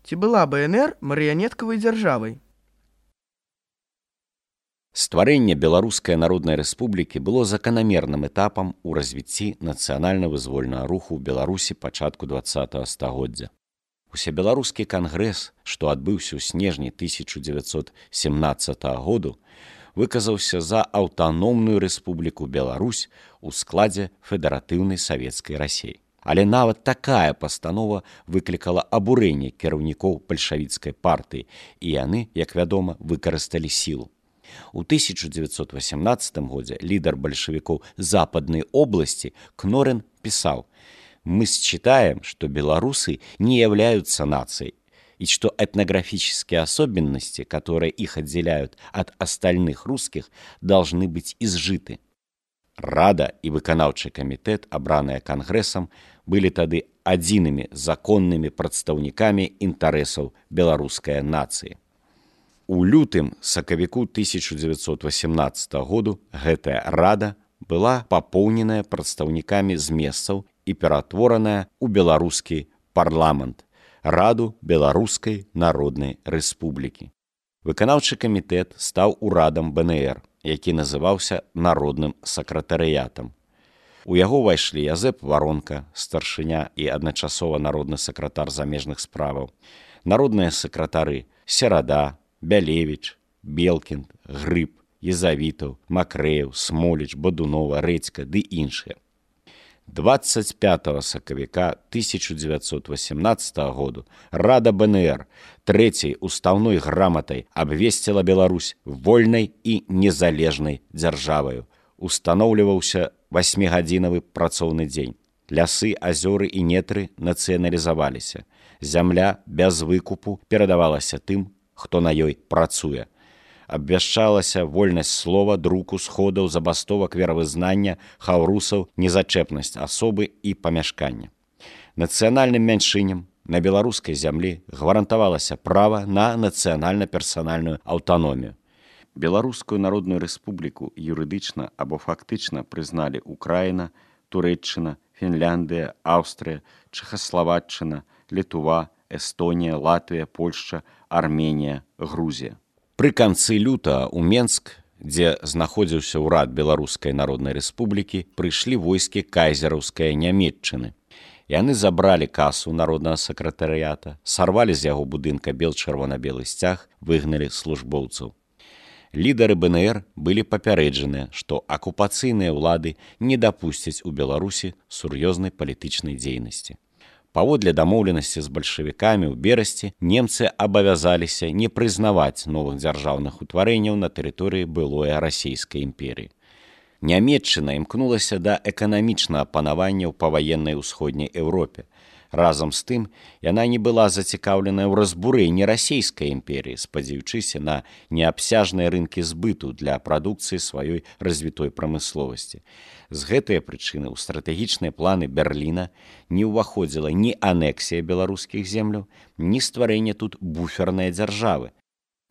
Ці была БНР марыянеткавай дзяржавай? Стварэнне Беларускай Народнай Рэспублікі было заканамерным этапам у развіцці нацыянальна-вызвольнага руху ў Беларусі пачатку 20-го стагоддзя. Усебеларускі кангрэс, што адбыўся ў снежні 1917 году, выказаўся за аўтаномную рэспубліку Беларусь у складзе федэратыўнай савецкай Расіі. Але нават такая пастанова выклікала абурэнне кіраўнікоў бальшавіцкай партыі, і яны, як вядома, выкарысталі сілу. У 1918 годзе лідар бальшавікоў Западнай области Кнорин писал: «Мы считаем, что белорусы не являются нацией, и что этнографические особенности, которые их отделяют от остальных русских, должны быть изжиты». Рада и выканаўчы камітэт, абраныя кангрэсам, былі тады адзінымі законнымі прадстаўнікамі інтарэсаў беларускай нацыі. У лютым-сакавіку 1918 году гэтая рада была папоўненая прадстаўнікамі з месцаў і ператвораная ў беларускі парламент, Раду Беларускай Народнай Рэспублікі. Выканаўчы камітэт стаў урадам БНР, які называўся Народным сакратарыятам. У яго ўвайшлі Язэп Варонка, старшыня і адначасова народны сакратар замежных справаў, народныя сакратары Серада, Бялевіч, Белкінд, Грыб, Езавітаў, Макрэев, Смоліч, Бадунова, Рэдзька ды іншыя. 25 сакавіка 1918 году Рада БНР трэцяй уставной граматай абвесціла Беларусь вольнай і незалежнай дзяржаваю. Устаноўліваўся 8-гадзінавы працоўны дзень. Лясы, азёры і нетры нацыяналізаваліся. Зямля без выкупу перадавалася тым, хто на ёй працуе. Абвяшчалася вольнасць слова, друку, сходаў, забастовак, веравызнання, хаўрусаў, незачэпнасць асобы і памяшкання. Нацыянальным мяншыням на беларускай зямлі гарантавалася права на нацыянальна-персанальную аўтаномію. Беларускую Народную Рэспубліку юрыдычна або фактычна прызналі Украіна, Турэччына, Фінляндыя, Аўстрыя, Чэхаславаччына, Літва, Эстонія, Латвія, Польшча, Арменія, Грузія. Пры канцы лютага ў Менск, дзе знаходзіўся ўрад Беларускай Народнай Рэспублікі, прыйшлі войскі кайзераўскай Нямецчыны. Яны забралі касу народнага сакратарыята, сарвалі з яго будынка бел-чырвона-белы сцяг, выгналі службоўцаў. Лідары БНР былі папярэджаныя, што акупацыйныя ўлады не дапусцяць у Беларусі сур'ёзнай палітычнай дзейнасці. Паводле дамоўленасці з бальшавікамі ў берасці немцы абавязаліся не прызнаваць новых дзяржаўных утварэнняў на тэрыторыі былой расійскай імперіі. Нямецчына імкнулася да эканамічнага панавання ў паваеннай усходняй Еўропе. Разам з тым, яна не была зацікаўленая ў разбурэнні расійскай імперіі, спадзяючыся на неабсяжныя рынкі збыту для прадукцыі сваёй развітой прамысловасці. З гэтай прычыны ў стратэгічныя планы Берліна не ўваходзіла ні анексія беларускіх земляў, ні стварэнне тут буфернай дзяржавы.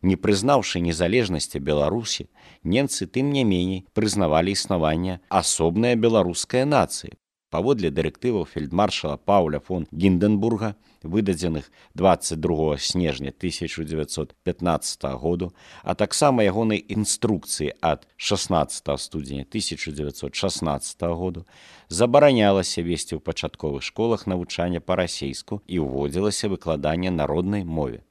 Не прызнаўшы незалежнасці Беларусі, немцы тым не меней прызнавалі існаванне асобнай беларускай нацыі. Паводле дырэктываў фельдмаршала Паўля фон Гіндэнбурга, выдадзеных 22 снежня 1915 году, а таксама ягонай інструкцыі ад 16 студзеня 1916 году, забаранялася весці ў пачатковых школах навучання па-расейску і ўводзілася выкладанне народнай мове.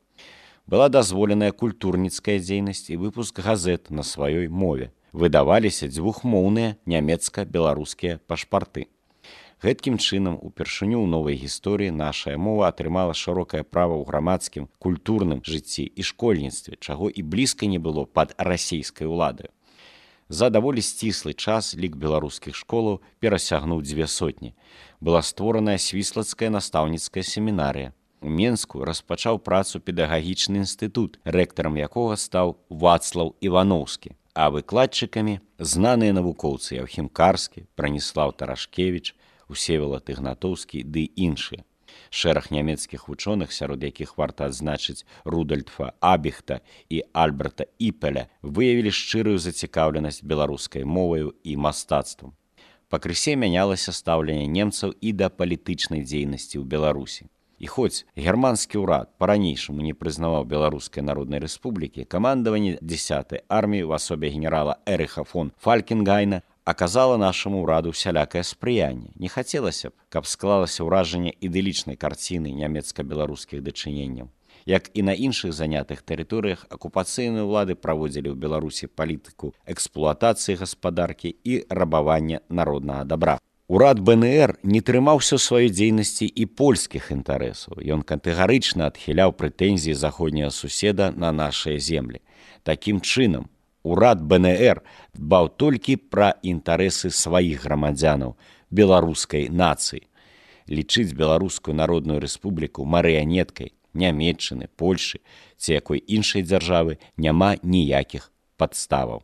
Была дазволеная культурніцкая дзейнасць і выпуск газет на сваёй мове. Выдаваліся дзвюхмоўныя нямецка-беларускія пашпарты. Гэткім чынам, упершыню ў новай гісторыі нашая мова атрымала шырокае права ў грамадскім, культурным жыцці і школьніцтве, чаго і блізка не было пад расійскай уладай. За даволі сціслы час лік беларускіх школаў перасягнуў 200. Была створаная свіслацкая настаўніцкая семінарыя. У Менску распачаў працу педагагічны інстытут, рэктарам якога стаў Вацлаў Іваноўскі, а выкладчыкамі знаныя навукоўцы Яўхім Карскі, Браніслаў Тарашкевіч, Усевалад Ігнатоўскі ды іншыя. Шэраг нямецкіх вучоных, сярод якіх варта адзначыць Рудольфа Абіхта і Альберта Іпеля, выявілі шчырую зацікаўленасць беларускай моваю і мастацтвам. Пакрысе мянялася стаўленне немцаў і да палітычнай дзейнасці ў Беларусі. І хоць германскі ўрад па-ранейшаму не прызнаваў Беларускай Народнай Рэспублікі, камандаванне 10-й арміі ў асобе генерала Эрыха фон Фалькенгайна аказала нашаму ўраду усялякае спрыянне. Не хацелася б, каб склалася ўражанне ідылічнай карціны нямецка-беларускіх дачыненняў. Як і на іншых занятых тэрыторыях, акупацыйныя ўлады праводзілі ў Беларусі палітыку эксплуатацыі гаспадаркі і рабавання народнага дабра. Урад БНР не трымаўся ў сваёй дзейнасці і польскіх інтарэсаў. Ён катэгарычна адхіляў прэтэнзіі заходняга суседа на нашыя землі. Такім чынам, урад БНР дбаў толькі пра інтарэсы сваіх грамадзянаў, беларускай нацыі. Лічыць Беларускую Народную Рэспубліку марыянеткай Нямецчыны, Польшы ці якой іншай дзяржавы няма ніякіх падставаў.